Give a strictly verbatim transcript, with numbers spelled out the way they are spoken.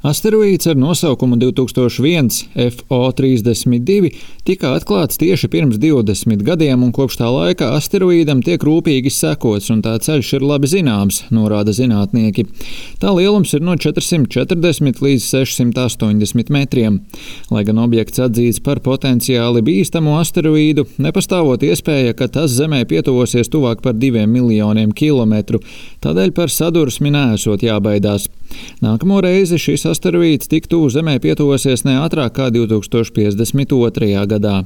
Asteroīds ar nosaukumu divi tūkstoši viens F O trīsdesmit divi tika atklāts tieši pirms divdesmit gadiem, un kopš tā laika asteroīdam tiek rūpīgi sekots, un tā ceļš ir labi zināms, norāda zinātnieki. Tā lielums ir no četrsimt četrdesmit līdz sešsimt astoņdesmit metriem. Lai gan objekts atzīts par potenciāli bīstamu asteroīdu, nepastāvot iespēja, ka tas Zemē pietuvosies tuvāk par diviem miljoniem kilometru, tādēļ par sadursmi neesot jābaidās. Nākamo reizi šis asteroīds tik tuvu Zemē pietuvosies ne ātrāk kā divi tūkstoši piecdesmit otrajā gadā.